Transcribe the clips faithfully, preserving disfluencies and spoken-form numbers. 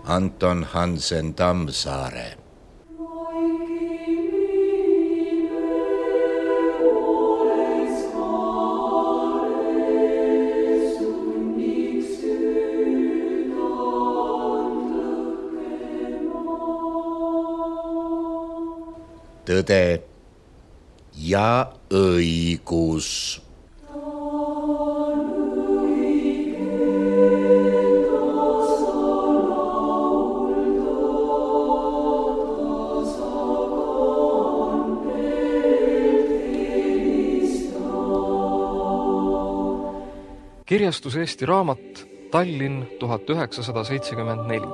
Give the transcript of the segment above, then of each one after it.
Anton Hansen Tammsaare. Tõde ja õigus. Kirjastus Eesti Raamat, Tallinn tuhat üheksasada seitsekümmend neli.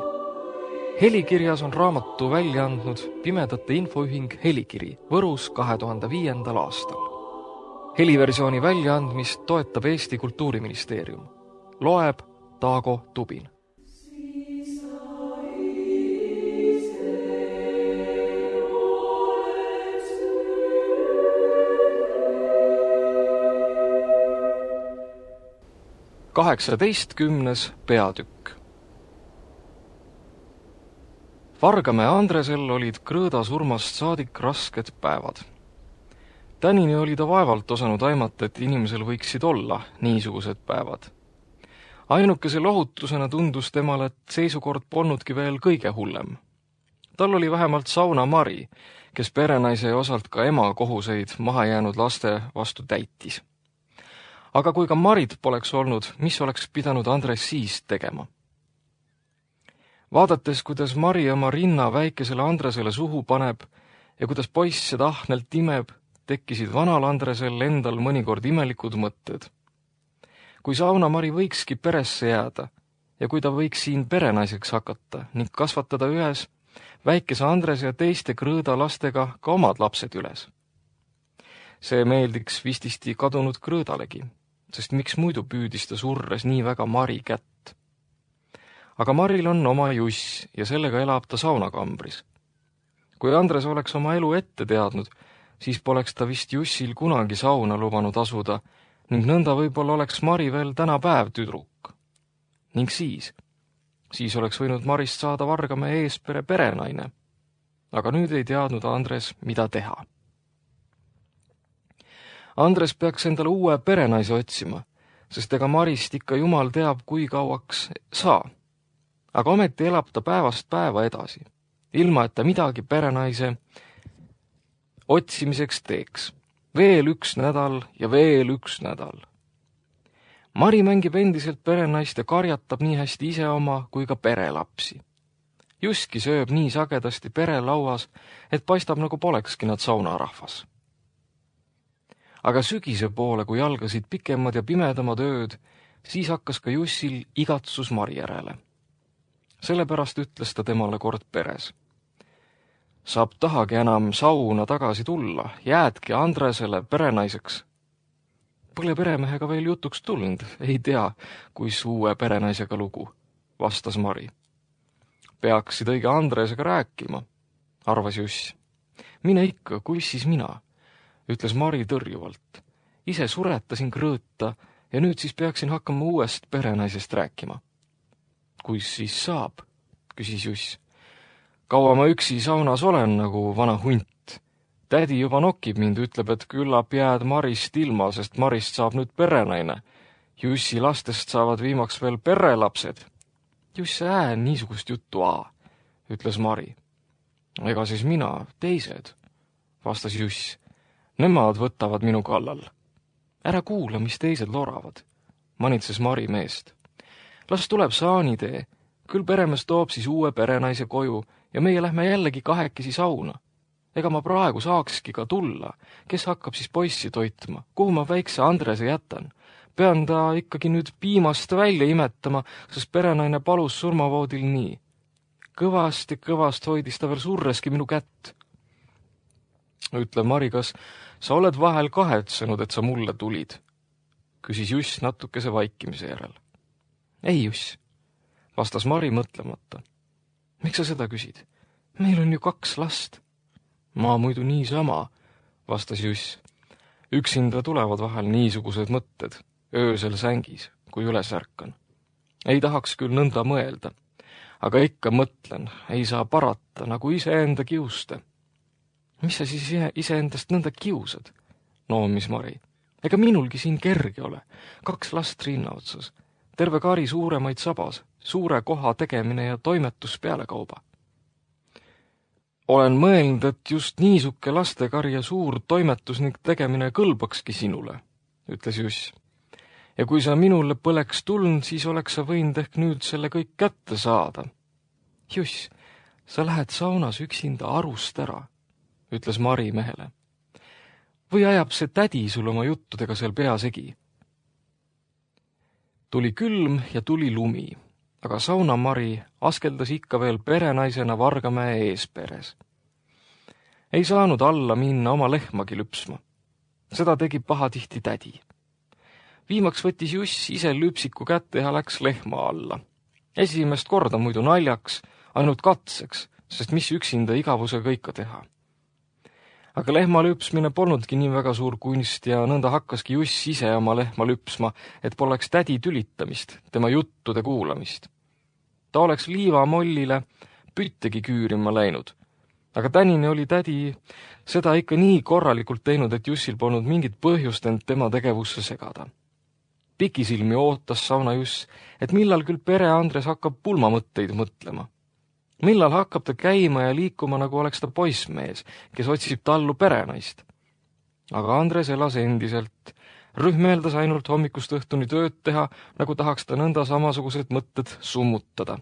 Helikirjas on raamatu välja andnud Pimedate Infoühing Helikiri Võrus kahe tuhande viiendal aastal. Heliversiooni väljaandmist toetab Eesti Kultuuriministeerium. Loeb Taago Tubin. kaheksateistkümnes peatükk. Vargamäe Andresel olid Krõõda surmast saadik rasked päevad. Tänini oli ta vaevalt osanud aimata, et inimesel võiksid olla niisugused päevad. Ainukese lohutusena tundus temale, et seisukord polnudki veel kõige hullem. Tal oli vähemalt sauna Mari, kes perenaise ja osalt ka ema kohuseid maha jäänud laste vastu täitis. Aga kui ka Marit poleks olnud, mis oleks pidanud Andres siis tegema? Vaadates, kuidas Mari oma rinna väikesele Andresele suhu paneb ja kuidas poiss seda ahnelt imeb, tekkisid vanal Andresel endal mõnikord imelikud mõtted. Kui sauna Mari võikski peresse jääda ja kui ta võiks siin perenaiseks hakata ning kasvatada ühes väikese Andrese ja teiste Krõõda lastega ka omad lapsed üles. See meeldiks vististi kadunud Krõõdalegi, sest miks muidu püüdis ta surres nii väga Mari kätt. Aga Maril on oma Juss ja sellega elab ta saunakambris. Kui Andres oleks oma elu ette teadnud, siis poleks ta vist Jussil kunagi sauna lubanud asuda ning nõnda võib-olla oleks Mari veel tänapäev tüdruk. Ning siis, siis oleks võinud Marist saada Vargamäe eespere perenaine. Aga nüüd ei teadnud Andres, mida teha. Andres peaks endale uue perenaise otsima, sest ega Marist ikka jumal teab, kui kauaks saa. Aga ometi elab ta päevast päeva edasi, ilma et ta midagi perenaise otsimiseks teeks. Veel üks nädal ja veel üks nädal. Mari mängib endiselt perenaist ja karjatab nii hästi ise oma kui ka perelapsi. Juski sööb nii sagedasti perelauas, et paistab nagu polekski nad saunarahvas. Aga sügise poole, kui algasid pikemad ja pimedamad ööd, siis hakkas ka Jussil igatsus Mari järele. Sellepärast ütles ta temale kord peres. Saab tahagi enam sauna tagasi tulla, jäädki Andresele perenaiseks. Pole peremehega veel jutuks tulnud, ei tea, kuis uue perenaisega lugu, vastas Mari. Peaksid õige Andresega rääkima, arvas Juss. Mine ikka, kuis siis mina? Ütles Mari tõrjuvalt. Ise suretasin Krõõta ja nüüd siis peaksin hakkama uuest perenaisest rääkima. Kuis siis saab, küsis Juss. Kaua ma üksi saunas olen nagu vana hunt. Tädi juba nokib mind, ütleb, et küllap jääd Marist ilma, sest Marist saab nüüd perenaine. Jussi lastest saavad viimaks veel perelapsed. Juss ää niisugust juttu aa, ütles Mari. Ega siis mina, teised, vastas Juss. Nemad võtavad minu kallal. Ära kuula, mis teised loravad, manitses Mari meest. Las tuleb saanitee, küll peremees toob siis uue perenaise koju ja meie lähme jällegi kahekesi sauna. Ega ma praegu saakski ka tulla, kes hakkab siis poissi toitma, kuhu ma väikse Andrese jätan. Pean ta ikkagi nüüd piimast välja imetama, sest perenaine palus surmavoodil nii. Kõvast ja kõvast hoidis ta veel surreski minu kätt. Ütle, Mari, kas sa oled vahel kahetsenud, et sa mulle tulid? Küsis Juss natukese vaikimise järel. Ei, Juss, vastas Mari mõtlemata. Miks sa seda küsid? Meil on ju kaks last. Ma muidu niisama, vastas Juss. Üksinda tulevad vahel niisugused mõtted, öösel sängis, kui üles ärkan. Ei tahaks küll nõnda mõelda, aga ikka mõtlen, ei saa parata, nagu iseenda kiuste. Mis sa siis iseendast nõnda kiusad? Noomis Mari. Ega minulgi siin kerge ole. Kaks last rinna otsas. Terve kari suuremaid sabas, suure koha tegemine ja toimetus pealekauba. Olen mõelnud, et just niisuke lastekari ja suur toimetus ning tegemine kõlbakski sinule, ütles Juss. Ja kui sa minule põleks tulnud, siis oleks sa võinud ehk nüüd selle kõik kätte saada. Juss, sa lähed saunas üksinda arust ära, ütles Mari mehele. Või ajab see tädi sul oma juttudega seal peasegi? Tuli külm ja tuli lumi, aga sauna Mari askeldas ikka veel perenaisena Vargamäe eesperes. Ei saanud alla minna oma lehmagi lüpsma. Seda tegi pahatihti tädi. Viimaks võttis Juss ise lüpsiku kätte ja läks lehma alla. Esimest korda muidu naljaks, ainult katseks, sest mis üksinda igavusega ikka teha. Aga lehma lüpsmine polnudki nii väga suur kunst ja nõnda hakkaski Juss ise oma lehma lüpsma, et poleks tädi tülitamist, tema juttude kuulamist. Ta oleks liivamollile püttegi küürima läinud, aga tänini oli tädi seda ikka nii korralikult teinud, et Jussil polnud mingit põhjust end tema tegevusse segada. Pikisilmi ootas sauna Juss, et millal küll pere Andres hakkab pulmamõtteid mõtlema. Millal hakkab ta käima ja liikuma, nagu oleks ta poissmees, kes otsib tallu perenaist. Aga Andres elas endiselt, rühmeeldas ainult hommikust õhtuni tööd teha, nagu tahaks ta nõnda samasugused mõtted summutada.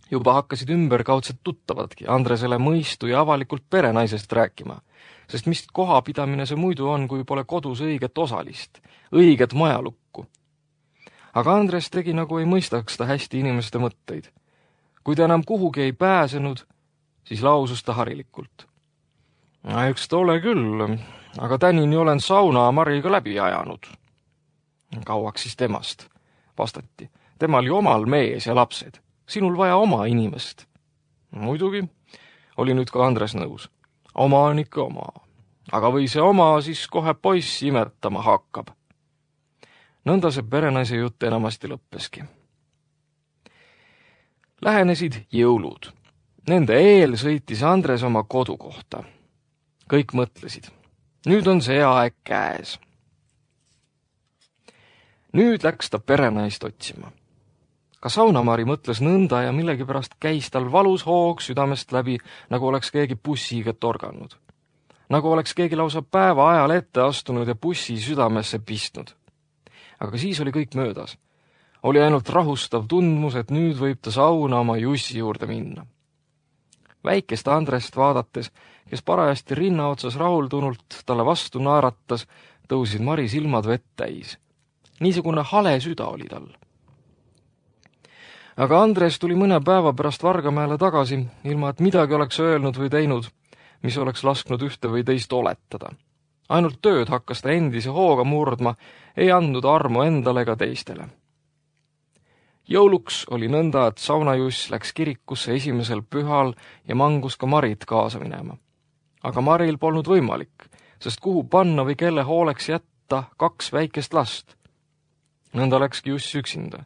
Juba hakkasid ümberkaudsed tuttavadki Andresele mõistu ja avalikult perenaisest rääkima, sest mis kohapidamine see muidu on, kui pole kodus õiget osalist, õiget majalukku. Aga Andres tegi, nagu ei mõistaks ta hästi inimeste mõtteid. Kui ta enam kuhugi ei pääsenud, siis lausus ta harilikult. Eks ta ole küll, aga tänini olen sauna Mariga läbi ajanud. Kauaks siis temast, vastati. Temal oli omal mees ja lapsed. Sinul vaja oma inimest. Muidugi, oli nüüd ka Andres nõus. Oma on ikka oma. Aga või see oma siis kohe poiss imetama hakkab. Nõnda see perenaise jutt enamasti lõppeski. Lähenesid jõulud. Nende eel sõitis Andres oma kodu kohta. Kõik mõtlesid. Nüüd on see aeg käes. Nüüd läks ta perenaist otsima. Ka Saunamari mõtles nõnda ja millegipärast käis tal valus hoog südamest läbi, nagu oleks keegi bussiga torganud. Nagu oleks keegi lausa päeva ajal ette astunud ja bussi südamesse pistnud. Aga siis oli kõik möödas. Oli ainult rahustav tundmus, et nüüd võib ta sauna oma Jussi juurde minna. Väikest Andrest vaadates, kes parajasti rinna otsas rahuldunult talle vastu naaratas, tõusid Mari silmad vett täis. Niisugune hale süda oli tal. Aga Andres tuli mõne päeva pärast Vargamäele tagasi, ilma et midagi oleks öelnud või teinud, mis oleks lasknud ühte või teist oletada. Ainult tööd hakkas ta endise hooga murdma, ei andnud armu endale ega teistele. Jõuluks oli nõnda, et saunajuss läks kirikusse esimesel pühal ja mangus ka Marit kaasa minema. Aga Maril polnud võimalik, sest kuhu panna või kelle hooleks jätta kaks väikest last. Nõnda läkski Juss üksinda.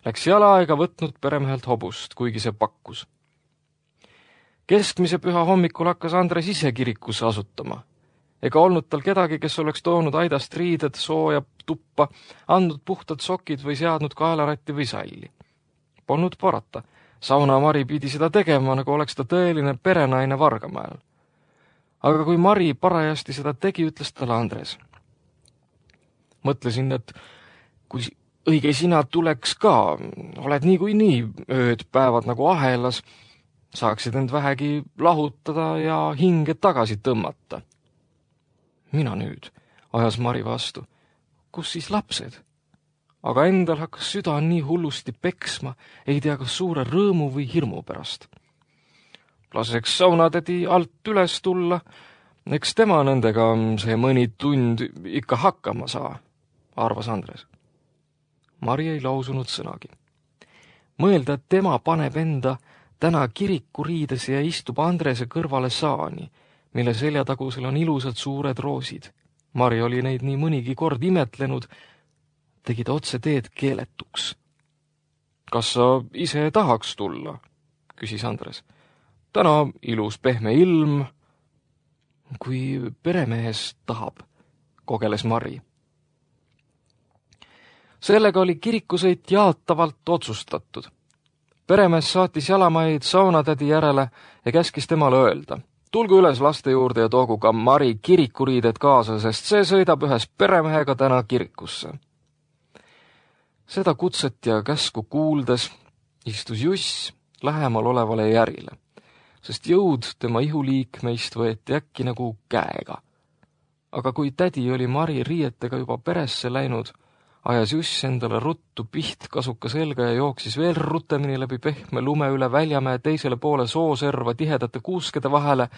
Läks jala ega võtnud peremehelt hobust, kuigi see pakkus. Keskmise püha hommikul hakkas Andres ise kirikusse asutama. Ega olnud tal kedagi, kes oleks toonud aidast riided, sooja tuppa, andnud puhtad sokid või seadnud kaelaratti või salli. Polnud parata. Sauna Mari pidi seda tegema, nagu oleks ta tõeline perenaine Vargamäel. Aga kui Mari parajasti seda tegi, ütles talle Andres. Mõtlesin, et kui õige sina tuleks ka, oled nii kui nii ööd päevad nagu ahelas, saaksid end vähegi lahutada ja hinge tagasi tõmmata. Mina nüüd, ajas Mari vastu. Kus siis lapsed? Aga endal hakkas süda nii hullusti peksma, ei tea kas suure rõõmu või hirmu pärast. Laseks saunatädi alt üles tulla, eks tema nendega see mõni tund ikka hakkama saa, arvas Andres. Mari ei lausunud sõnagi. Mõelda, et tema paneb enda täna kirikuriides ja istub Andrese kõrvale saani, mille seljatagusel on ilusad suured roosid. Mari oli neid nii mõnigi kord imetlenud, tegi ta otse teed keeletuks. kas sa ise tahaks tulla? Küsis Andres. Täna ilus pehme ilm. Kui peremehes tahab, kogeles Mari. Sellega oli kirikusõit jaatavalt otsustatud. Peremees saatis jalamaid saunatädi järele ja käskis temale öelda. Tulgu üles laste juurde ja toogu ka Mari kirikuriided kaasa, sest see sõidab ühes peremehega täna kirikusse. Seda kutset ja käsku kuuldes istus Juss lähemal olevale järile, sest jõud tema ihuliikmeist võeti äkki nagu käega. Aga kui tädi oli Mari riietega juba peresse läinud, ajas Juss endale ruttu piht kasuka selga ja jooksis veel rutemini läbi pehme lume üle Väljamäe teisele poole sooserva tihedate kuuskede vahele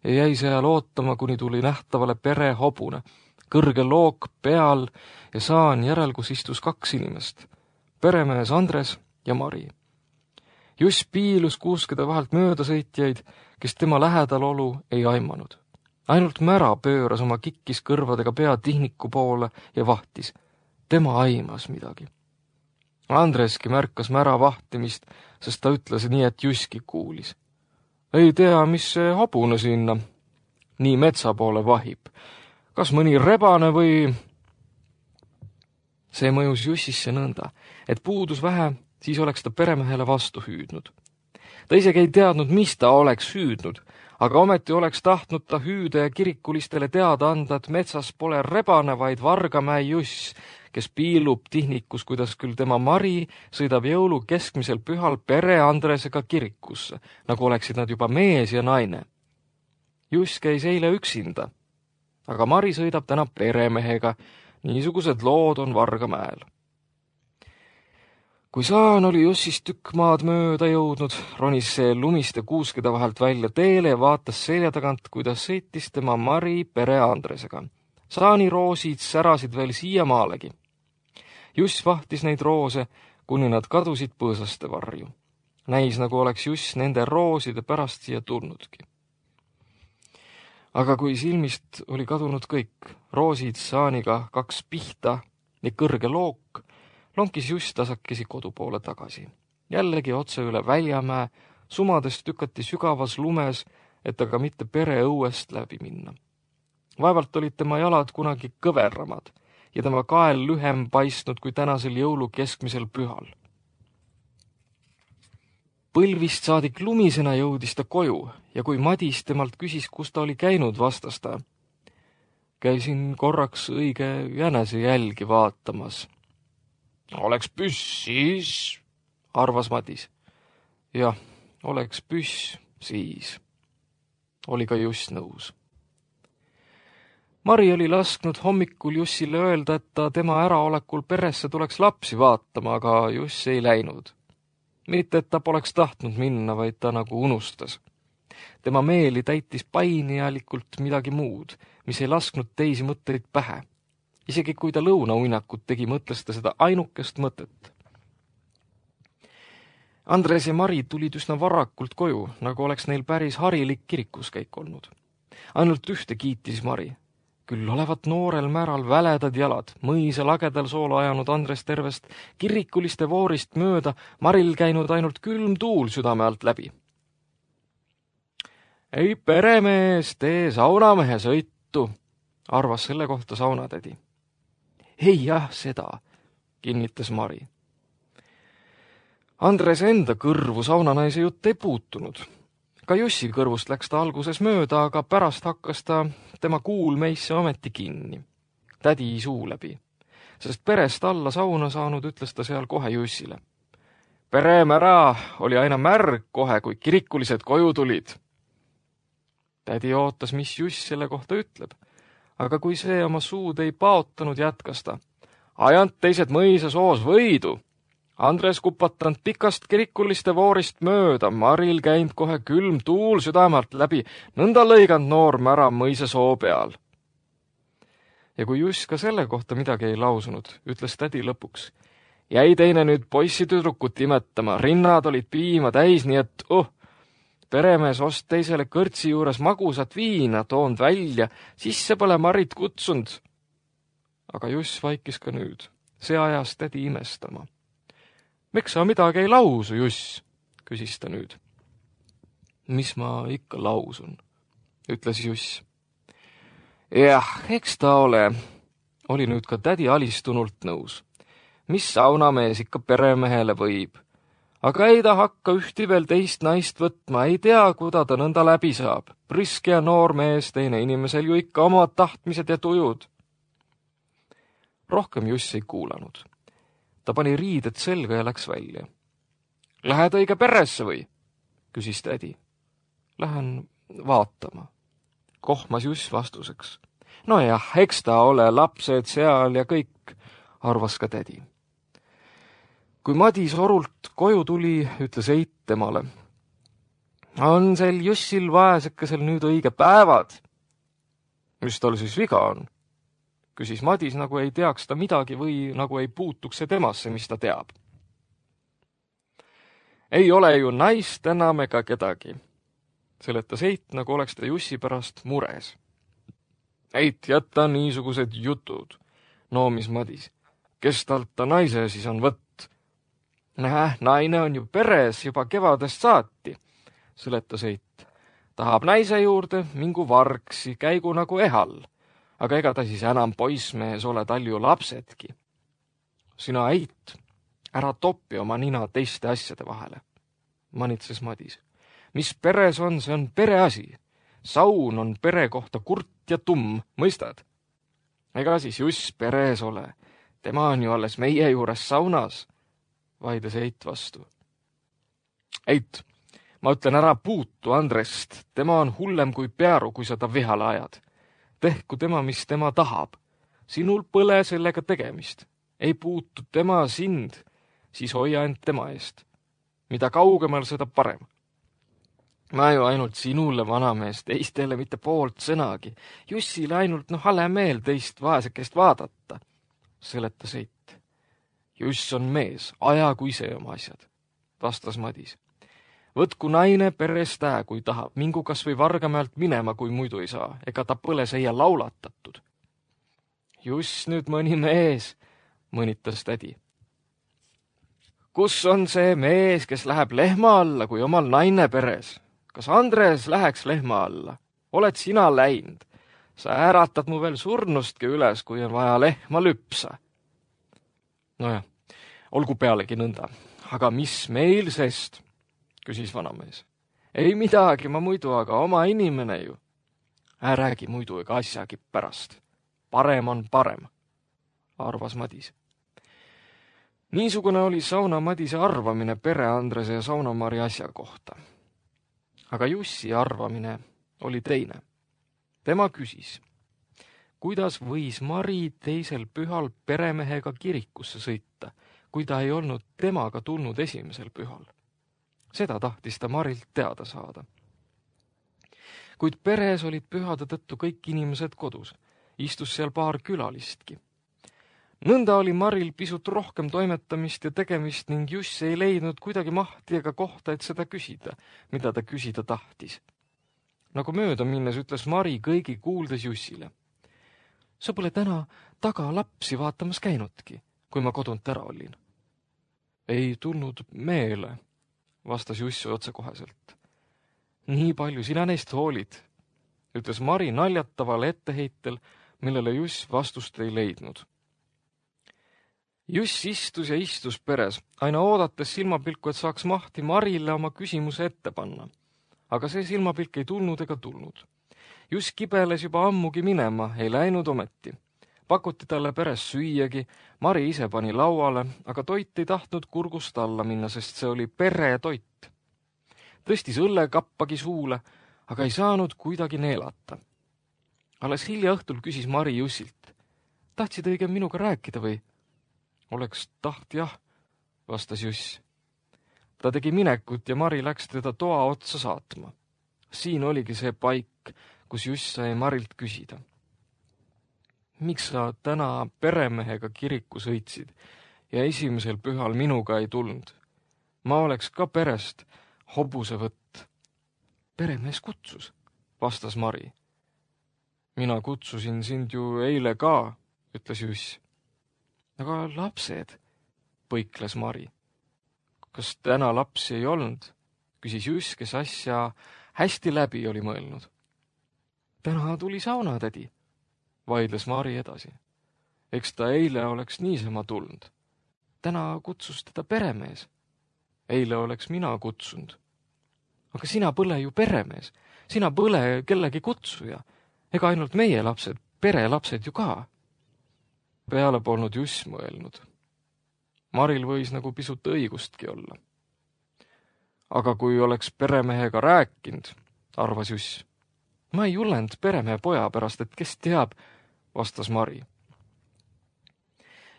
ja jäi seal ootama, kuni tuli nähtavale pere hobune, kõrge look peal ja saan järel, kus istus kaks inimest, peremees Andres ja Mari. Juss piilus kuuskede vahelt möödasõitjaid, kes tema lähedal olu ei aimanud. Ainult Mära pööras oma kikkis kõrvadega pea tihniku poole ja vahtis. Tema aimas midagi. Andreski märkas Mära vahtimist, sest ta ütles nii, et Jusski kuulis. Ei tea, mis see hobune sinna nii metsa poole vahib. Kas mõni rebane või... See mõjus Jussisse nõnda, et puudus vähe, siis oleks ta peremehele vastu hüüdnud. Ta isegi ei teadnud, mis ta oleks hüüdnud, aga ometi oleks tahtnud ta hüüde ja kirikulistele teada anda, et metsas pole rebane, vaid Vargamäe Juss, kes piilub tihnikus, kuidas küll tema Mari sõidab jõulu keskmisel pühal pere Andresega kirikusse, nagu oleksid nad juba mees ja naine. Juss käis eile üksinda, aga Mari sõidab täna peremehega, niisugused lood on Vargamäel. Kui saan oli Jussist tükk maad mööda jõudnud, ronis see lumiste kuuskede vahelt välja teele ja vaatas selja tagant, kuidas sõitis tema Mari pere Andresega. Saani roosid särasid veel siiamaalegi. Juss vahtis neid roose, kuni nad kadusid põõsaste varju. Näis, nagu oleks Juss nende rooside pärast siia tulnudki. Aga kui silmist oli kadunud kõik, roosid, saaniga, kaks pihta ja kõrge look, lonkis Juss tasakesi kodu poole tagasi. Jällegi otse üle Väljamäe, sumadest tükati sügavas lumes, et aga mitte pere õuest läbi minna. Vaevalt olid tema jalad kunagi kõveramad ja tema kael lühem paistnud kui tänasel jõulu keskmisel pühal. Põlvist saadik lumisena jõudis ta koju ja kui Madis temalt küsis, kus ta oli käinud, vastas ta. Käisin korraks õige jänese jälgi vaatamas. Oleks püss siis, arvas Madis. Jah, oleks püss siis. Oli ka Juss nõus. Mari oli lasknud hommikul Jussile öelda, et ta tema äraolekul peresse tuleks lapsi vaatama, aga Juss ei läinud. Mitte, et ta poleks tahtnud minna, vaid ta nagu unustas. Tema meeli täitis painialikult midagi muud, mis ei lasknud teisi mõtteid pähe. Isegi kui ta lõunauinakut tegi, mõtles ta seda ainukest mõtet. Andres ja Mari tulid üsna varakult koju, nagu oleks neil päris harilik kirikuskäik olnud. Ainult ühte kiitis Mari. Küll olevat noorel Märal väledad jalad, mõisa lagedal soola ajanud Andres tervest kirikuliste voorist mööda, Maril käinud ainult külm tuul südame alt läbi. Ei peremees, tee saunamehe sõitu, arvas selle kohta saunatädi. Ei jah, seda, kinnitas Mari. Andres enda kõrvu saunanaise jutt ei puutunud. Ka Jussi kõrvust läks ta alguses mööda, aga pärast hakkas ta tema kuulmeisse ometi kinni. Tädi suu läbi. Sest perest alla sauna saanud, ütles ta seal kohe Jussile. Peremära oli aina märg kohe, kui kirikulised koju tulid. Tädi ootas, mis Juss selle kohta ütleb. Aga kui see oma suud ei paotanud, jätkas ta. Ajant teised mõisa soos võidu. Andres kupatanud pikast kirikuliste voorist mööda, Maril käinud kohe külm tuul südamalt läbi, nõnda lõiganud noor Mära mõisa soo peal. Ja kui Juss ka selle kohta midagi ei lausunud, ütles tädi lõpuks. Jäi teine nüüd poissi tüdrukut imetama, rinnad olid piima täis, nii et oh, peremees ost teisele kõrtsi juures magusat viina, toond välja, sisse pole Marit kutsunud. Aga Juss vaikis ka nüüd, see ajas tädi imestama. Miks sa midagi ei lausu, Juss? Küsis ta nüüd. Mis ma ikka lausun, ütles Juss. Jah, eks ta ole. Oli nüüd ka tädi alistunult nõus. Mis saunamees ikka peremehele võib? Aga ei ta hakka ühti veel teist naist võtma, ei tea, kuda ta nõnda läbi saab. Priske ja noor mees, teine inimesel ju ikka omad tahtmised ja tujud. Rohkem Juss ei kuulanud. Ta pani riided selga ja läks välja. Lähed õige peresse või? Küsis tädi. Lähen vaatama. Kohmas Juss vastuseks. No jah, eks ta ole lapsed seal ja kõik, arvas ka tädi. Kui Madis orult koju tuli, ütles Eit temale. On sel Jussil vaesekesel nüüd õige päevad? Mis tal siis viga on? Küsis Madis, nagu ei teaks ta midagi või nagu ei puutuks see temasse, mis ta teab. Ei ole ju naist enam ega kedagi, seletas Eit, nagu oleks ta Jussi pärast mures. Eit, jätta niisugused jutud, noomis Madis. Kes talt ta naise siis on võtt? Näh, naine on ju peres juba kevadest saati, seletas Eit. Tahab naise juurde, mingu vargsi, käigu nagu ehal. Aga ega ta siis enam poissmees ole tal ju lapsedki. Sina, Eit, ära topi oma nina teiste asjade vahele, manitses Madis. Mis peres on, see on pereasi. Saun on pere kohta kurt ja tumm, mõistad? Ega siis Juss peres ole. Tema on ju alles meie juures saunas, vaides Eit vastu. Eit, ma ütlen ära puutu Andrest. Tema on hullem kui pearu, kui sa ta vihale ajad. Tehku tema, mis tema tahab. Sinul põle sellega tegemist. Ei puutu tema sind, siis hoia end tema eest. Mida kaugemal, seda parem. Ma ju ainult sinule, vanamees, teistele mitte poolt sõnagi. Jussile ainult no hale meel teist vaesekest vaadata, seletas Eit. Juss on mees, ajagu ise oma asjad, vastas Madis. Võtku naine perest ää, kui tahab, mingu kas või Vargamäelt minema, kui muidu ei saa, ega ta põle seia laulatatud. Juss nüüd mõni mees, mõnitas tädi. Kus on see mees, kes läheb lehma alla, kui omal naine peres? Kas Andres läheks lehma alla? Oled sina läinud? Sa äratad mu veel surnustki üles, kui on vaja lehma lüpsa. Nojah, olgu pealegi nõnda. Aga mis meil sest? Küsis vanamees. Ei midagi, ma muidu, aga oma inimene ju. Ää räägi muidu ega asjagi pärast. Parem on parem, arvas Madis. Niisugune oli sauna Madise arvamine pere Andrese ja Saunamari asja kohta. Aga Jussi arvamine oli teine. Tema küsis, kuidas võis Mari teisel pühal peremehega kirikusse sõita, kui ta ei olnud temaga tulnud esimesel pühal. Seda tahtis ta Marilt teada saada. Kuid peres olid pühade tõttu kõik inimesed kodus. Istus seal paar külalistki. Nõnda oli Maril pisut rohkem toimetamist ja tegemist ning Juss ei leidnud kuidagi mahti ega kohta, et seda küsida, mida ta küsida tahtis. Nagu mööda minnes ütles Mari kõigi kuuldes Jussile. Sa pole täna taga lapsi vaatamas käinudki, kui ma kodunt ära olin. Ei tulnud meele, vastas Juss otsekoheselt. Nii palju sina neist hoolid, ütles Mari naljataval etteheitel, millele Juss vastust ei leidnud. Juss istus ja istus peres, aina oodates silmapilku, et saaks mahti Marile oma küsimuse ette panna. Aga see silmapilk ei tulnud ega tulnud. Juss kibeles juba ammugi minema, ei läinud ometi. Pakuti talle peres süüagi, Mari ise pani lauale, aga toit ei tahtnud kurgust alla minna, sest see oli pere toit. Tõstis õllekappagi suule, aga ei saanud kuidagi neelata. Alles hilja õhtul küsis Mari Jussilt. Tahtsid õige minuga rääkida või? Oleks taht jah, vastas Juss. Ta tegi minekut ja Mari läks teda toa otsa saatma. Siin oligi see paik, kus Juss sai Marilt küsida. Miks sa täna peremehega kiriku sõitsid ja esimesel pühal minuga ei tulnud? Ma oleks ka perest hobuse võtt. Peremees kutsus, vastas Mari. Mina kutsusin sind ju eile ka, ütles Juss. Aga lapsed, põikles Mari. kas täna lapsi ei olnud, küsis Juss, kes asja hästi läbi oli mõelnud. Täna tuli saunatädi, vaidles Mari edasi. Eks ta eile oleks niisama tulnud. Täna kutsus teda peremees. Eile oleks mina kutsunud. Aga sina põle ju peremees. Sina põle kellegi kutsuja. Ega ainult meie lapsed, pere lapsed ju ka. Peale polnud Juss mõelnud. Maril võis nagu pisut õigustki olla. Aga kui oleks peremehega rääkinud, arvas Juss. Ma ei jullend peremehe poja pärast, et kes teab, vastas Mari.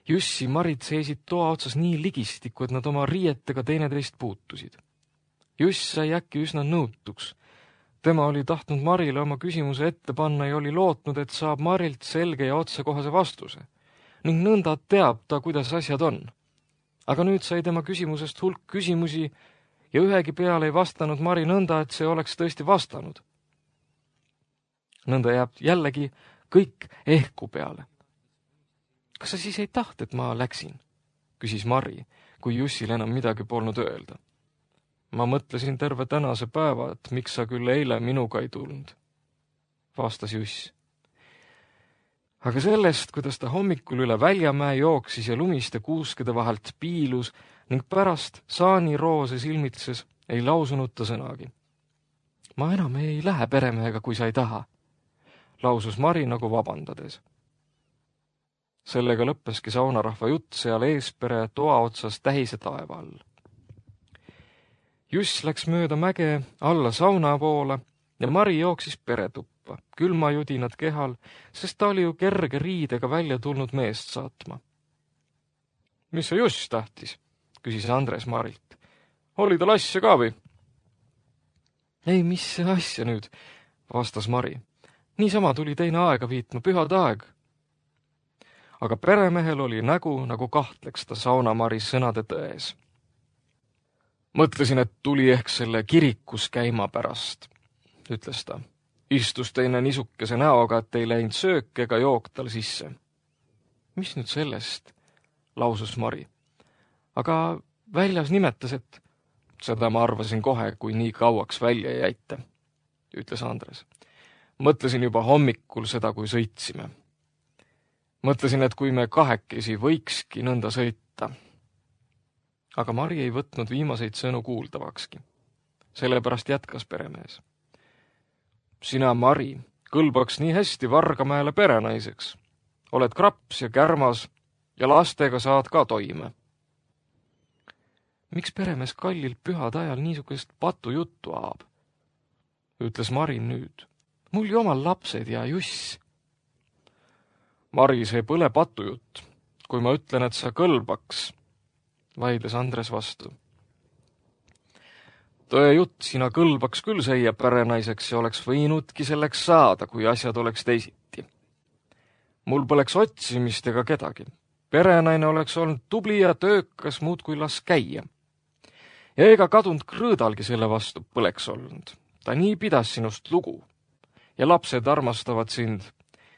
Jussi Marid seisid toa otsas nii ligistikku, et nad oma riietega teineteist puutusid. Juss sai äkki üsna nõutuks. Tema oli tahtnud Marile oma küsimuse ette panna ja oli lootnud, et saab Marilt selge ja otsekohase vastuse. Ning nõnda teab ta, kuidas asjad on. Aga nüüd sai tema küsimusest hulk küsimusi ja ühegi peale ei vastanud Mari nõnda, et see oleks tõesti vastanud. Nõnda jääb jällegi kõik ehku peale. Kas sa siis ei taht, et ma läksin? Küsis Mari, kui Jussil enam midagi polnud öelda. Ma mõtlesin terve tänase päeva, et miks sa küll eile minuga ei tulnud, vastas Juss. Aga sellest, kuidas ta hommikul üle Väljamäe jooksis ja lumiste kuuskede vahelt piilus ning pärast saani roose silmitses, ei lausunud ta sõnagi. Ma enam ei lähe peremehega, kui sa ei taha, lausus Mari nagu vabandades. Sellega lõppeski saunarahva jutt seal eespere toa otsas tähise taeva all. Juss läks mööda mäge alla sauna poole ja Mari jooksis peretuppa, külmajudinad kehal, sest ta oli ju kerge riidega välja tulnud meest saatma. Mis see Juss tahtis? Küsis Andres Marilt. Oli tal asja ka või? Ei, mis see asja nüüd, vastas Mari. Niisama tuli teine aega viitma, pühad aeg. Aga peremehel oli nägu, nagu kahtleks ta saunamari sõnade tões. Mõtlesin, et tuli ehk selle kirikus käima pärast, ütles ta. Istus teine nisukese näoga, et ei läinud söök ega jook tal sisse. Mis nüüd sellest, lausus Mari. Aga väljas nimetas, et seda ma arvasin kohe, kui nii kauaks välja jäite, ütles Andres. Mõtlesin juba hommikul seda, kui sõitsime. Mõtlesin, et kui me kahekesi võikski nõnda sõita. Aga Mari ei võtnud viimaseid sõnu kuuldavakski. Sellepärast jätkas peremees. Sina, Mari, kõlbaks nii hästi Vargamäele perenaiseks. Oled kraps ja kärmas ja lastega saad ka toime. Miks peremees kallil pühad ajal niisugust patu juttu aab? Ütles Mari nüüd. Mul ju omal lapsed ja Juss. Mari, see põle patujutt, kui ma ütlen, et sa kõlbaks, vaidles Andres vastu. Tõe jutt, sina kõlbaks küll seia perenaiseks ja oleks võinudki selleks saada, kui asjad oleks teisiti. Mul poleks otsimist ega kedagi. Perenaine oleks olnud tubli ja töökas, muud kui las käia. Ja ega kadunud Krõõdalgi selle vastu põleks olnud. Ta nii pidas sinust lugu. Ja lapsed armastavad sind.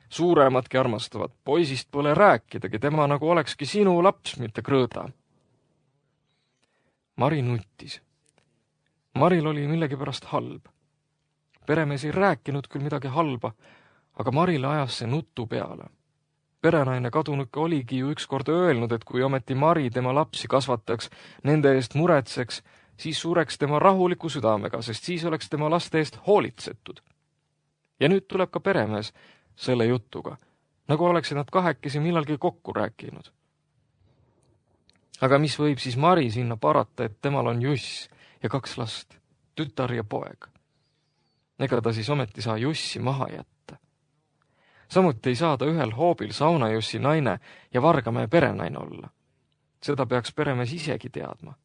Suuremadki armastavad. Poisist pole rääkidagi, tema nagu olekski sinu laps, mitte Krõõda. Mari nuttis. Maril oli millegipärast halb. Peremees ei rääkinud küll midagi halba, aga Marile ajas see nutu peale. Perenaine kadunuke oligi ju ükskord öelnud, et kui ometi Mari tema lapsi kasvataks, nende eest muretseks, siis sureks tema rahuliku südamega, sest siis oleks tema laste eest hoolitsetud. Ja nüüd tuleb ka peremees selle jutuga, nagu oleksid nad kahekesi millalgi kokku rääkinud. Aga mis võib siis Mari sinna parata, et temal on Juss ja kaks last, tütar ja poeg? Ega ta siis ometi saa Jussi maha jätta. Samuti ei saa ta ühel hoobil saunajussi naine ja Vargamäe perenaine olla. Seda peaks peremees isegi teadma.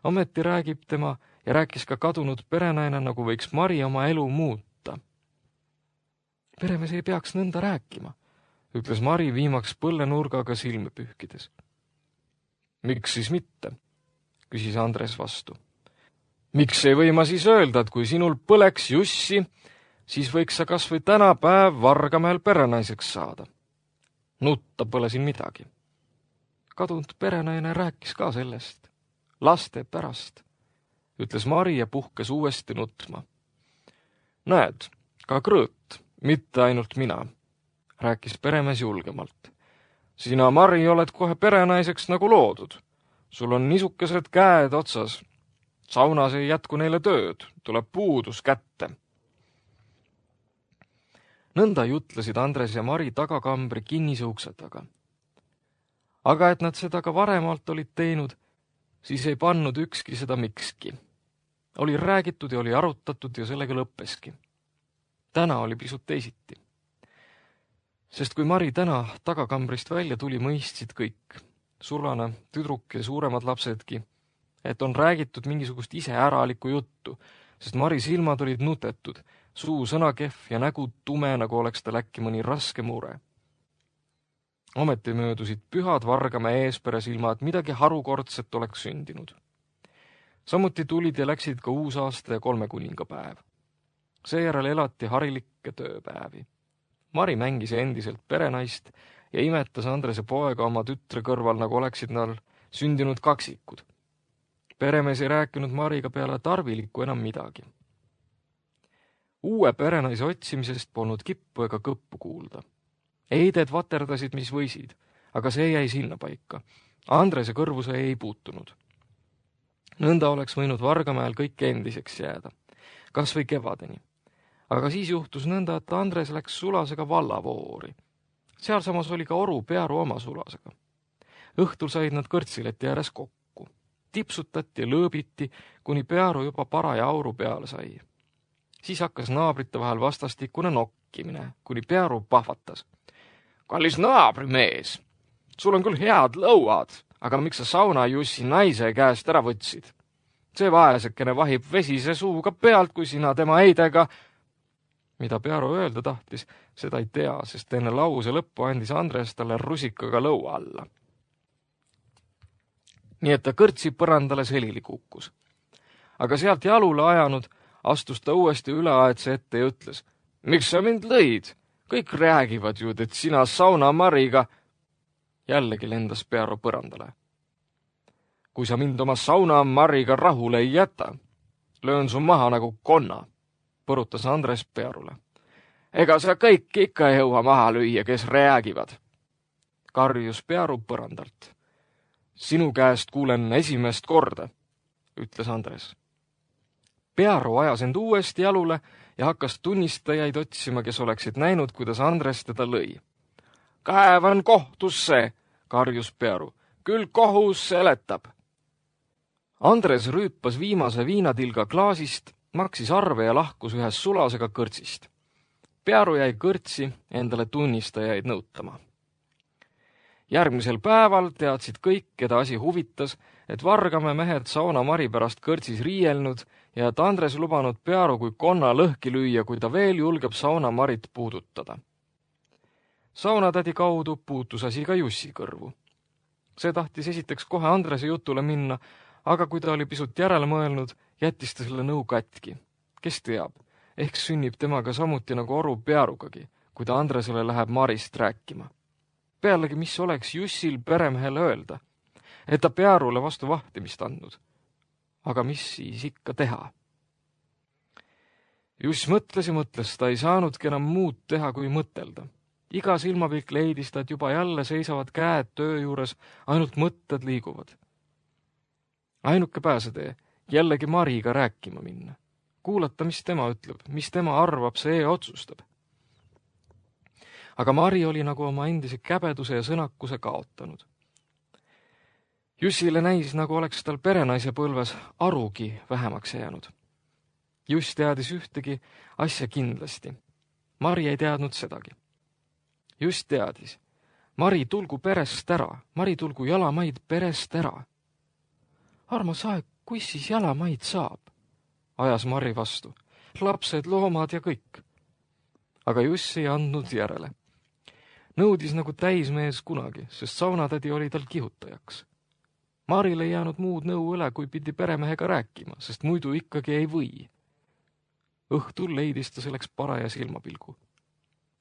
Ometi räägib tema ja rääkis ka kadunud perenaine, nagu võiks Mari oma elu muuta. Peremees ei peaks nõnda rääkima, ütles Mari viimaks põllenurgaga silme pühkides. Miks siis mitte? Küsis Andres vastu. Miks ei või ma siis öelda, et kui sinul põleks Jussi, siis võiks sa kas või täna päev Vargamäel perenaiseks saada. Nutta pole siin midagi. Kadunud perenaine rääkis ka sellest, laste pärast, ütles Mari ja puhkes uuesti nutma. Näed, ka Krõõt, mitte ainult mina, rääkis peremees julgemalt. Sina, Mari, oled kohe perenaiseks nagu loodud. Sul on niisukesed käed otsas. Saunas ei jätku neile tööd, tuleb puudus kätte. Nõnda jutlesid Andres ja Mari tagakambri kinnise ukse taga. Aga et nad seda ka varemalt olid teinud, siis ei pannud ükski seda mikski. Oli räägitud ja oli arutatud ja sellega lõppeski. Täna oli pisut teisiti. Sest kui Mari täna tagakambrist välja tuli, mõistsid kõik, sulane, tüdruk ja suuremad lapsedki, et on räägitud mingisugust iseäralikku juttu, sest Mari silmad olid nutetud, suu sõnakehv ja nägu tume, nagu oleks tal äkki mõni raske mure. Ometi möödusid pühad Vargamäe eespere silmad, midagi harukordset oleks sündinud. Samuti tulid ja läksid ka uusaasta ja kolme kuningapäev. Seejärel elati harilikke tööpäevi. Mari mängis endiselt perenaist ja imetas Andrese poega oma tütre kõrval, nagu oleksid nad sündinud kaksikud. Peremees ei rääkinud Mariga peale tarvilikku enam midagi. Uue perenaise otsimisest polnud kippu ega kõppu kuulda. Eided vaterdasid, mis võisid, aga see jäi sinna paika. Andrese kõrvuse ei puutunud. Nõnda oleks võinud Vargamäel kõik endiseks jääda, kas või kevadeni. Aga siis juhtus nõnda, et Andres läks Sulasega vallavoori. Seal samas oli ka Oru Pearu oma Sulasega. Õhtul said nad kõrtsileti ääres kokku. Tipsutati ja lõõbiti, kuni Pearu juba paraja auru peale sai. Siis hakkas naabrite vahel vastastikune nokkimine, kuni Pearu pahvatas. Kallis naabrimees, sul on küll head lõuad, aga miks sa sauna Jussi naise käest ära võtsid? See vaesekene vahib vesise suuga pealt, kui sina tema eidega... Mida Pearu öelda tahtis, seda ei tea, sest enne lause lõppu andis Andres talle rusikaga lõua alla. Nii et ta kõrtsi põrandale selili kukkus. Aga sealt jalule ajanud astus ta uuesti üleaedse ette ja ütles, miks sa mind lõid? Kõik räägivad ju, et sina sauna Mariga... Jällegi lendas Pearu põrandale. Kui sa mind oma sauna Mariga rahule ei jäta, löön su maha nagu konna, põrutas Andres Pearule. Ega sa kõik ikka ei jõua maha lüüa, kes räägivad. Karjus Pearu põrandalt. Sinu käest kuulen esimest korda, ütles Andres. Pearu ajas end uuesti jalule ja hakkas tunnistajaid otsima, kes oleksid näinud, kuidas Andres teda lõi. Kaevan kohtusse, karjus Pearu. Küll kohus seletab. Andres rüüpas viimase viinatilga klaasist, maksis arve ja lahkus ühes Sulasega kõrtsist. Pearu jäi kõrtsi endale tunnistajaid nõutama. Järgmisel päeval teadsid kõik, keda asi huvitas, et Vargamäe mehed sauna Mari pärast kõrtsis riielnud ja et Andres lubanud Pearu kui konna lõhki lüüa, kui ta veel julgeb sauna Marit puudutada. Saunatädi kaudu puutus asi ka Jussi kõrvu. See tahtis esiteks kohe Andrese jutule minna, aga kui ta oli pisut järele mõelnud, jättis ta selle nõu katki. Kes teab, ehk sünnib temaga samuti nagu Oru Pearugagi, kui ta Andresele läheb Marist rääkima. Pealegi, mis oleks Jussil peremehele öelda, et ta Pearule vastu vahtimist andnud. Aga mis siis ikka teha? Juss mõtles ja mõtles, ta ei saanudki enam muud teha, kui mõtelda. Iga silmapilk leidis ta, et juba jälle seisavad käed töö juures, ainult mõtted liiguvad. Ainuke pääsetee, jällegi Mariga rääkima minna. Kuulata, mis tema ütleb, mis tema arvab, see otsustab. Aga Mari oli nagu oma endise käbeduse ja sõnakuse kaotanud. Jussile näis, nagu oleks tal perenaise põlves arugi vähemaks jäänud. Juss teadis ühtegi asja kindlasti. Mari ei teadnud sedagi. Juss teadis. Mari tulgu perest ära. Mari tulgu jalamaid perest ära. Armas aeg, kus siis jalamaid saab? Ajas Mari vastu. Lapsed, loomad ja kõik. Aga Juss ei andnud järele. Nõudis nagu täismees kunagi, sest saunatädi oli tal kihutajaks. Maril ei jäänud muud nõu üle, kui pidi peremehega rääkima, sest muidu ikkagi ei või. Õhtul leidis ta selleks paraja silmapilgu.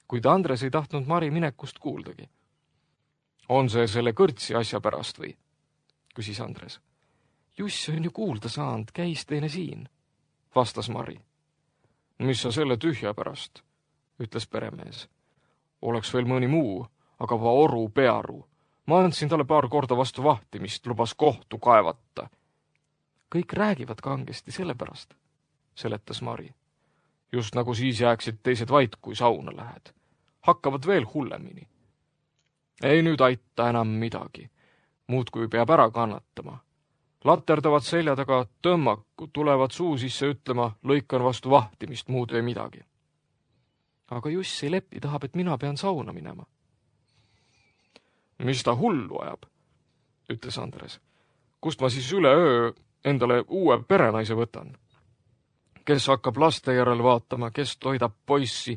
Kuid Andres ei tahtnud Mari minekust kuuldagi. On see selle kõrtsi asja pärast või? Küsis Andres. Juss on ju kuulda saanud, käis teine siin, vastas Mari. Mis sa selle tühja pärast, ütles peremees. Oleks veel mõni muu, aga va oru Pearu. Ma andsin talle paar korda vastu vahtimist, lubas kohtu kaevata. Kõik räägivad kangesti sellepärast, seletas Mari. Just nagu siis jääksid teised vait, kui sauna lähed. Hakkavad veel hullemini. Ei nüüd aita enam midagi. Muudkui peab ära kannatama. Laterdavad selja taga tõmmaku, tulevad suu sisse ütlema, lõikan vastu vahtimist, muud ei midagi. Aga Juss ei lepi, tahab, et mina pean sauna minema. Mis ta hullu ajab, ütles Andres. Kust ma siis üle öö endale uue perenaise võtan? Kes hakkab laste järel vaatama, kes toidab poissi?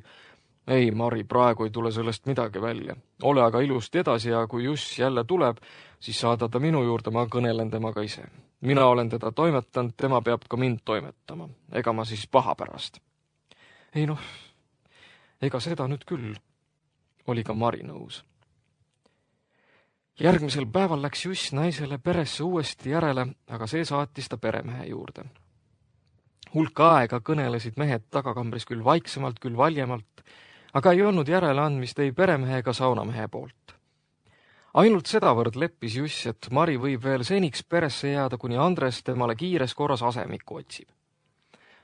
Ei, Mari, praegu ei tule sellest midagi välja. Ole aga ilusti edasi ja kui Juss jälle tuleb, siis saada ta minu juurde, ma kõnelen temaga ise. Mina olen teda toimetanud, tema peab ka mind toimetama. Ega ma siis paha pärast. Ei noh, ega seda nüüd küll, oli ka Mari nõus. Järgmisel päeval läks Juss naisele peresse uuesti järele, aga see saatis ta peremehe juurde. Hulka aega kõnelesid mehed tagakambris küll vaiksemalt, küll valjemalt, aga ei olnud järeleandmist ei peremehe ega saunamehe poolt. Ainult sedavõrd leppis Juss, et Mari võib veel seniks peresse jääda, kuni Andres temale kiires korras asemiku otsib.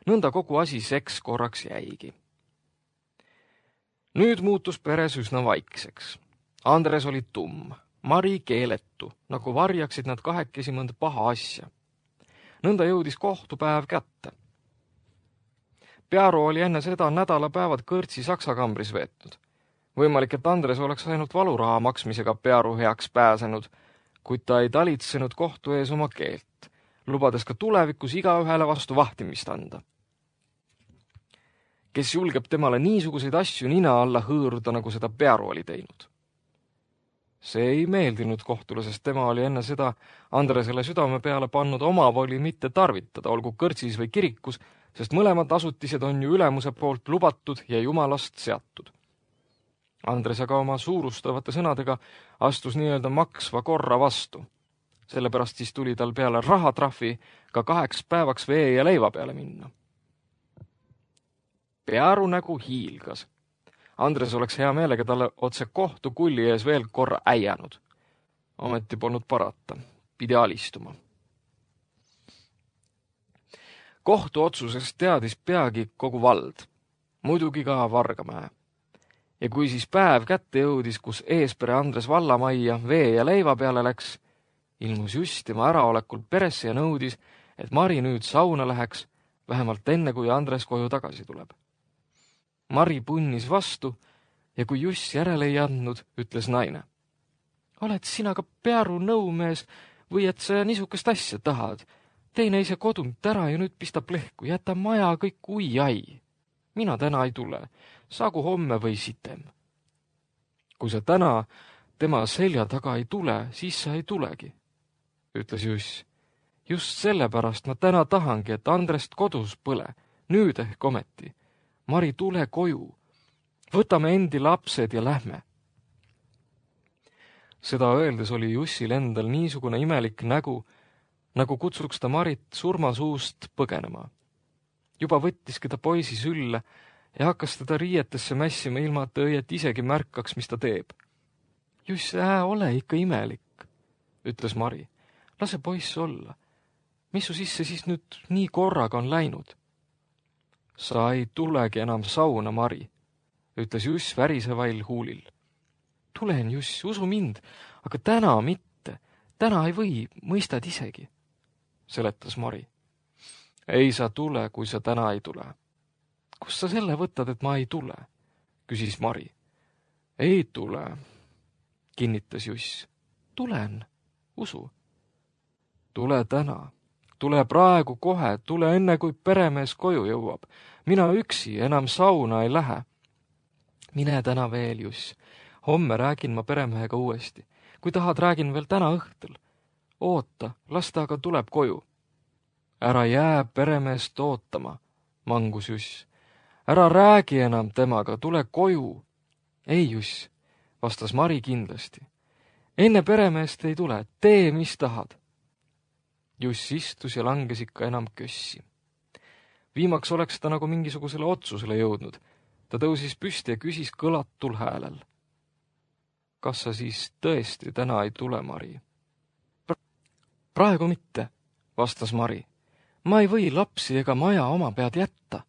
Nõnda kogu asi seks korraks jäigi. Nüüd muutus peres üsna vaikseks. Andres oli tumm, Mari keeletu, nagu varjaksid nad kahekesi mõnda paha asja. Nõnda jõudis kohtupäev kätte. Pearu oli enne seda nädalapäevad kõrtsi Saksakambris veetnud. Võimalik, et Andres oleks ainult valuraha maksmisega Pearu heaks pääsenud, kuid ta ei talitsenud kohtu ees oma keelt, lubades ka tulevikus igaühele vastu vahtimist anda. Kes julgeb temale niisuguseid asju nina alla hõõruda, nagu seda Pearu oli teinud? See ei meeldinud kohtule, sest tema oli enne seda Andresele südame peale pannud oma voli mitte tarvitada, olgu kõrtsis või kirikus, sest mõlemad asutised on ju ülemuse poolt lubatud ja jumalast seatud. Andres aga oma suurustavate sõnadega astus nii-öelda maksva korra vastu. Sellepärast siis tuli tal peale rahatrahvi ka kaheks päevaks vee ja leiva peale minna. Pearu nägu hiilgas. Andres oleks hea meelega talle otse kohtu kulli ees veel korra äianud. Ometi polnud parata, pidi alistuma. Kohtu otsusest teadis peagi kogu vald, muidugi ka Vargamäe. Ja kui siis päev kätte jõudis, kus eespere Andres vallamajja vee ja leiva peale läks, ilmus just tema äraolekul peresse ja nõudis, et Mari nüüd sauna läheks, vähemalt enne, kui Andres koju tagasi tuleb. Mari punnis vastu ja kui Juss järele ei andnud, ütles naine. Oled sina ka Pearu nõumees või et sa niisugust asja tahad? Teine ise kodunt ära ja nüüd pistab lehku, jäta maja kõik ui-ai. Mina täna ei tule, saagu homme või sitem. Kui sa täna tema selja taga ei tule, siis sa ei tulegi, ütles Juss. Just sellepärast ma täna tahangi, et Andrest kodus põle, nüüd ehk ometi. Mari, tule koju. Võtame endi lapsed ja lähme. Seda öeldes oli Jussil endal niisugune imelik nägu, nagu kutsuks ta Marit surmasuust põgenema. Juba võttiski ta poisi sülle ja hakkas teda riietesse mässima, ilma et õiet isegi märkaks, mis ta teeb. Juss, ää, ole ikka imelik, ütles Mari. Lase poiss olla. Mis su sisse siis nüüd nii korraga on läinud? Sa ei tulegi enam sauna, Mari, ütles Juss värisevail huulil. Tulen, Juss, usu mind, aga täna mitte. Täna ei või, mõistad isegi, seletas Mari. Ei sa tule, kui sa täna ei tule. Kust sa selle võtad, et ma ei tule? Küsis Mari. Ei tule, kinnitas Juss. Tulen, usu. Tule täna. Tule praegu kohe, tule enne, kui peremees koju jõuab. Mina üksi enam sauna ei lähe. Mine täna veel, Juss. Homme räägin ma peremehega uuesti. Kui tahad, räägin veel täna õhtul. Oota, las ta aga tuleb koju. Ära jää peremeest ootama, mangus Juss. Ära räägi enam temaga, tule koju. Ei, Juss, vastas Mari kindlasti. Enne peremeest ei tule, tee, mis tahad. Juss istus ja langes ikka enam kössi. Viimaks oleks ta nagu mingisugusele otsusele jõudnud. Ta tõusis püsti ja küsis kõlatul häälel. Kas sa siis tõesti täna ei tule, Mari? Praegu mitte, vastas Mari. Ma ei või lapsi ega maja oma pead jätta.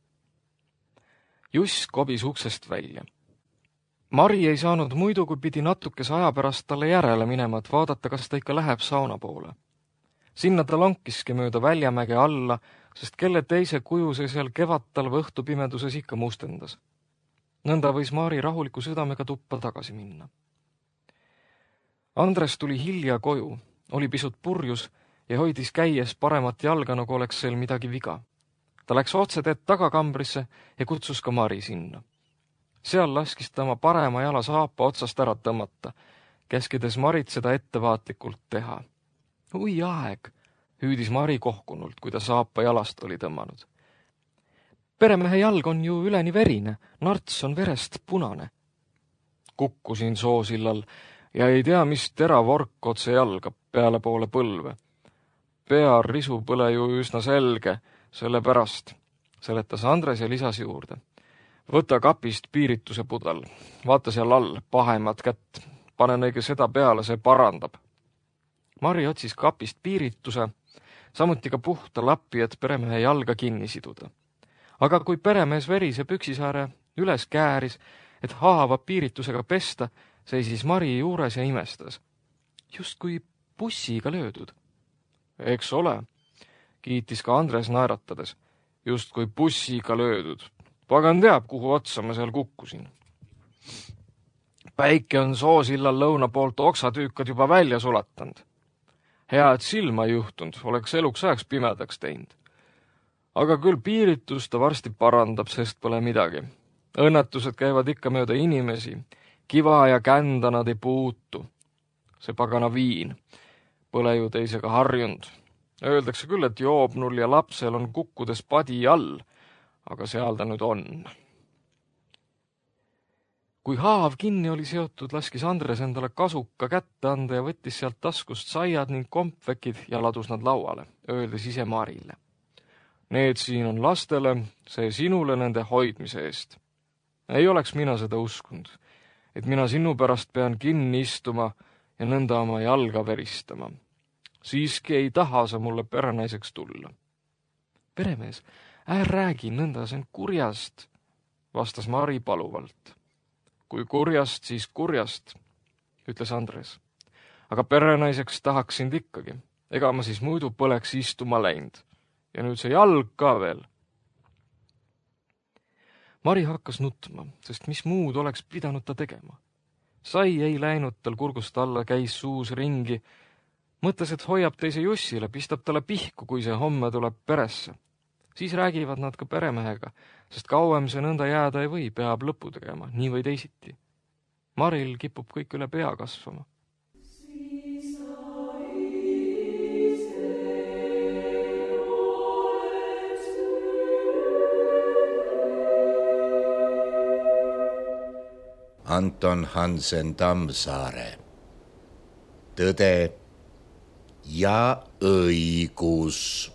Juss kobis uksest välja. Mari ei saanud muidu, kui pidi natukese aja pärast talle järele minema, et vaadata, kas ta ikka läheb sauna poole. Sinna ta lonkiski mööda väljamäge alla, sest kelle teise kuju see seal kevadtalve õhtupimeduses ikka mustendas. Nõnda võis Mari rahuliku südamega tuppa tagasi minna. Andres tuli hilja koju, oli pisut purjus ja hoidis käies paremat jalga, nagu oleks seal midagi viga. Ta läks otse teed tagakambrisse ja kutsus ka Mari sinna. Seal laskis ta oma parema jala saapa otsast ära tõmmata, käskides Marit seda ettevaatlikult teha. Ui aeg, hüüdis Mari kohkunult, kui ta saapa jalast oli tõmmanud. Peremehe jalg on ju üleni verine, narts on verest punane. Kukkusin soosillal ja ei tea, mis teravork otse jalga peale poole põlve. Pea risu põle ju üsna selge, selle pärast, seletas Andres ja lisas juurde. Võta kapist piirituse pudel, vaata seal all, pahemat kätt, pane neige seda peale, see parandab. Mari otsis kapist piirituse, samuti ka puhta lappi, et peremehe jalga kinni siduda. Aga kui peremees verise püksisaare üles kääris, et haava piiritusega pesta, seisis Mari juures ja imestas. Just kui bussiga löödud. Eks ole, kiitis ka Andres naeratades. Just kui bussiga löödud. Pagan teab, kuhu otsa ma seal kukkusin. Päike on soosillal lõuna poolt oksatüükad juba välja sulatanud. Hea, et silma ei juhtunud, oleks eluks ajaks pimedaks teinud. Aga küll piiritus ta varsti parandab, sest pole midagi. Õnnetused käivad ikka mööda inimesi. Kiva ja kända nad ei puutu. See pagana viin. Pole ju teisega harjunud. Öeldakse küll, et joobnul ja lapsel on kukkudes padi all, aga seal ta nüüd on. Kui haav kinni oli seotud, laskis Andres endale kasuka kätte anda ja võttis sealt taskust saiad ning kompvekid ja ladus nad lauale, öeldes ise Marile. Need siin on lastele, see sinule nende hoidmise eest. Ei oleks mina seda uskunud, et mina sinu pärast pean kinni istuma ja nõnda oma jalga veristama. Siiski ei taha sa mulle perenaiseks tulla. Peremees, ää räägi nõnda, see on kurjast, vastas Mari paluvalt. Kui kurjast, siis kurjast, ütles Andres. Aga perenaiseks tahaks sind ikkagi. Ega ma siis muidu põleks istuma läinud. Ja nüüd see jalg ka veel. Mari hakkas nutma, sest mis muud oleks pidanud ta tegema. Sai ei läinud tal kurgust alla, käis suus ringi. Mõtles, et hoiab teise Jussile, pistab talle pihku, kui see homme tuleb peresse. Siis räägivad nad ka peremehega, sest kauem see nõnda jääda ei või, peab lõpu tegema, nii või teisiti. Maril kipub kõik üle pea kasvama. Anton Hansen Tammsaare. Tõde ja õigus.